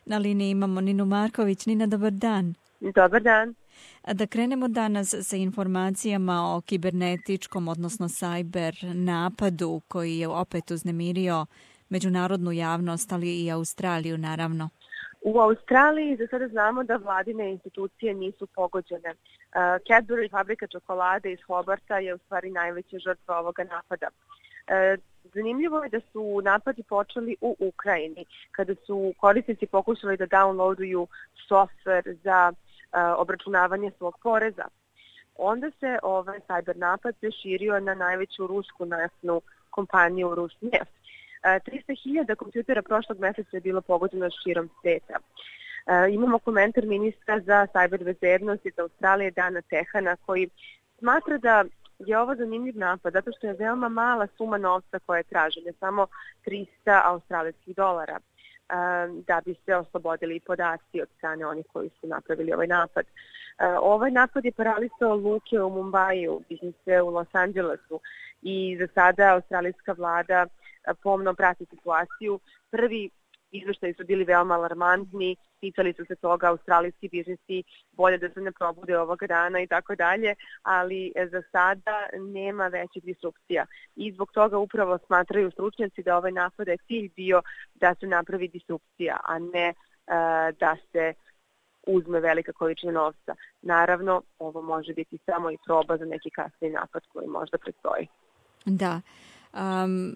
Na liniji imamo Ninu Marković. Nina, dobar dan. Dobar dan. Da krenemo danas sa informacijama o kibernetičkom, odnosno cyber napadu koji je opet uznemirio međunarodnu javnost, ali i Australiju naravno. U Australiji za sada znamo da vladine institucije nisu pogođene. Cadbury, fabrika čokolade iz Hobarta, je u stvari najveća žrtva ovoga napada. Zanimljivo je da su napadi počeli u Ukrajini, kada su korisnici pokušali da downloaduju softver za obračunavanje svog poreza. Onda se ovaj cyber napad preširio na najveću rusku naftnu kompaniju Rusneft. 300.000 kompjutera prošlog meseca je bilo pogođeno širom sveta. Imamo komentar ministra za cyber bezbednost iz Australije, Dana Tehana, koji smatra da je ovo zanimljiv napad zato što je veoma mala suma novca koja je tražena, samo 300 australijskih dolara, da bi se oslobodili podaci od strane onih koji su napravili ovaj napad. Ovaj napad je paralisao luke u Mumbaiju, biznise u Los Angelesu i za sada australijska vlada pomno prati situaciju. Prvi izveštaji su bili veoma alarmantni, ticali su se toga australijski biznisi, bolje da se ne probude ovoga dana i tako dalje, ali za sada nema većih disrupcija. I zbog toga upravo smatraju stručnjaci da ovaj napad je cilj bio da se napravi disrupcija, a ne da se uzme velika količina novca. Naravno, ovo može biti samo i proba za neki kasni napad koji možda predstoji. Da.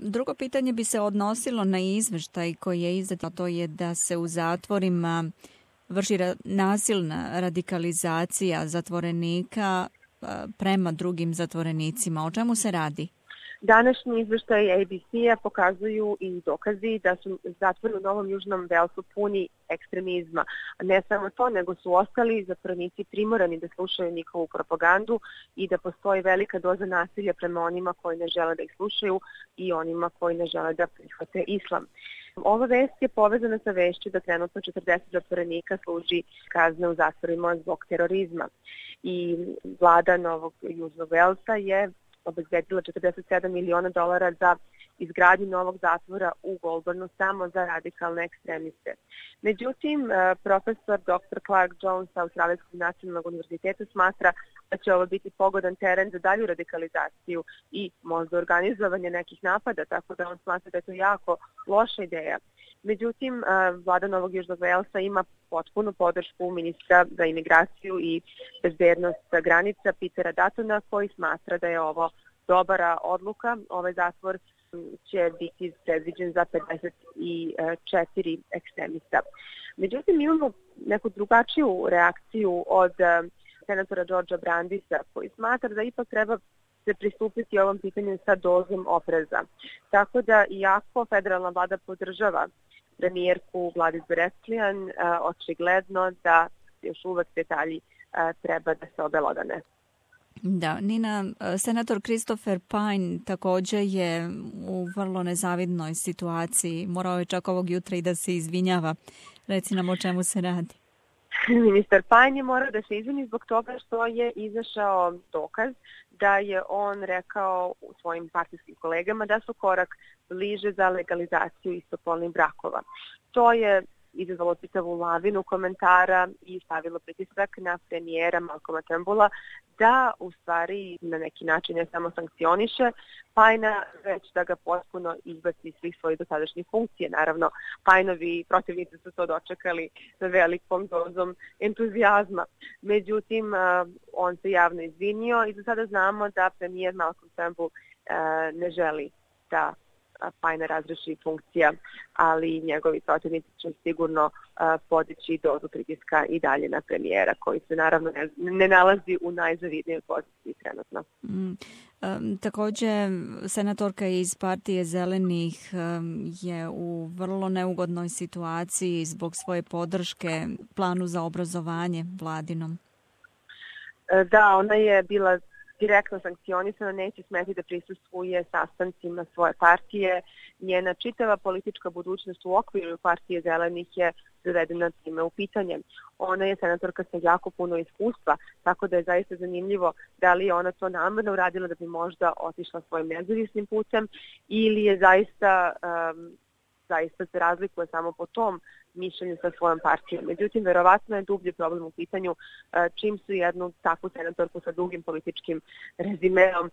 Drugo pitanje bi se odnosilo na izveštaj koji je izdat, to je da se u zatvorima vrši nasilna radikalizacija zatvorenika prema drugim zatvorenicima. O čemu se radi? Današnji izveštaj ABC-a pokazuju i dokazi da su zatvori u Novom Južnom Velsu puni ekstremizma. Ne samo to, nego su ostali zatvorenici primorani da slušaju njihovu propagandu i da postoji velika doza nasilja prema onima koji ne žele da ih slušaju i onima koji ne žele da prihvate islam. Ova vest je povezana sa vešću da trenutno 40 zatvorenika služi kazne u zatvorima zbog terorizma. I vlada Novog Južnog Velsa je obezbedila $47 miliona za izgradnju novog zatvora u Goulburnu samo za radikalne ekstremiste. Međutim, profesor Dr. Clark Jones sa Australijskog nacionalnog univerziteta smatra da će ovo biti pogodan teren za dalju radikalizaciju i možda organizovanje nekih napada, tako da on smatra da je to jako loša ideja. Međutim, vlada Novog Južnog Velsa ima potpunu podršku ministra za imigraciju i bezbednost granica Petera Duttona, koji smatra da je ovo dobra odluka. Ovaj zatvor će biti predviđen za 54 ekstremista. Međutim, imamo neku drugačiju reakciju od senatora Georgea Brandisa, koji smatra da ipak treba se pristupiti ovom pitanju sa dozom opreza. Tako da, iako federalna vlada podržava premijerku Gladys Berejiklian, očigledno da još uvek detalji treba da se obelodane. Da, Nina, senator Christopher Pyne također je u vrlo nezavidnoj situaciji. Morao je čak ovog jutra i da se izvinjava. Reci nam o čemu se radi. Ministar Pyne je morao da se izvini zbog toga što je izašao dokaz da je on rekao svojim partijskim kolegama da su korak bliže za legalizaciju istopolnih brakova. To je izazvalo čitavu lavinu komentara i stavilo pritisak na premijera Malcolma Turnbulla da u stvari na neki način ne samo sankcioniše Pyna, već da ga potpuno izbaci iz svih svojih dosadašnjih funkcije. Naravno, Pynovi protivnici su to dočekali sa velikom dozom entuzijazma. Međutim, on se javno izvinio i za sada znamo da premijer Malcolm Turnbull ne želi da Pyna razreši funkcija, ali njegovi protivnici će sigurno podići dozu pritiska i dalje na premijera, koji se naravno ne nalazi u najzavidnijoj poziciji trenutno. Također, senatorka iz partije Zelenih je u vrlo neugodnoj situaciji zbog svoje podrške planu za obrazovanje vladinom. Da, ona je bila direktno sankcionisana, neće smeti da prisustvuje sastancima svoje partije. Njena čitava politička budućnost u okviru partije Zelenih je dovedena time u pitanje. Ona je senatorka sa jako puno iskustva, tako da je zaista zanimljivo da li je ona to namerno uradila da bi možda otišla svojim nezavisnim putem ili je zaista zaista se razlikuje samo po tom mišljenju sa svojom partijom. Međutim, verovatno je dublji problem u pitanju čim su jednu takvu senatorku sa dugim političkim rezimeom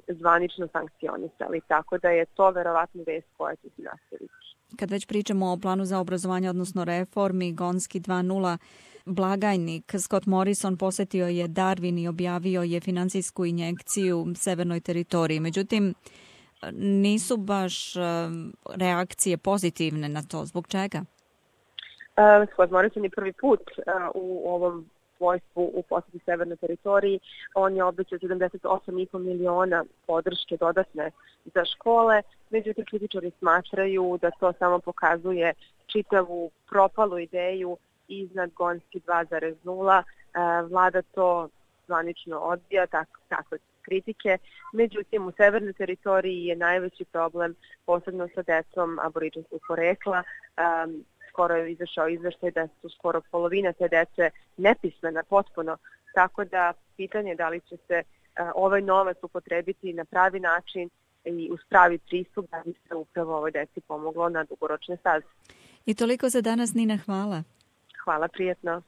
zvanično sankcionisali. Tako da je to verovatno vest koja će se nastaviti. Kad već pričamo o planu za obrazovanje, odnosno reformi, Gonski 2.0, blagajnik Scott Morrison posetio je Darwin i objavio je financijsku injekciju severnoj teritoriji. Međutim, nisu baš reakcije pozitivne na to. Zbog čega? Scott Morrison je prvi put u ovom svojstvu u poseti severnoj teritoriji. On je obećao 78,5 miliona podrške dodatne za škole. Međutim, kritičari smatraju da to samo pokazuje čitavu propalu ideju iznad Gonski 2.0. Vlada to zvanično odbija, takve kritike. Međutim, u severnoj teritoriji je najveći problem, posebno sa decom aboriđinskog porekla. Skoro je izašao izveštaj da su skoro polovina te dece nepismena potpuno, tako da pitanje je da li će se ovaj novac upotrebiti na pravi način i uz pravi pristup da bi se upravo ovoj deci pomoglo na dugoročne staze. I toliko za danas, Nina, hvala. Hvala, prijetno.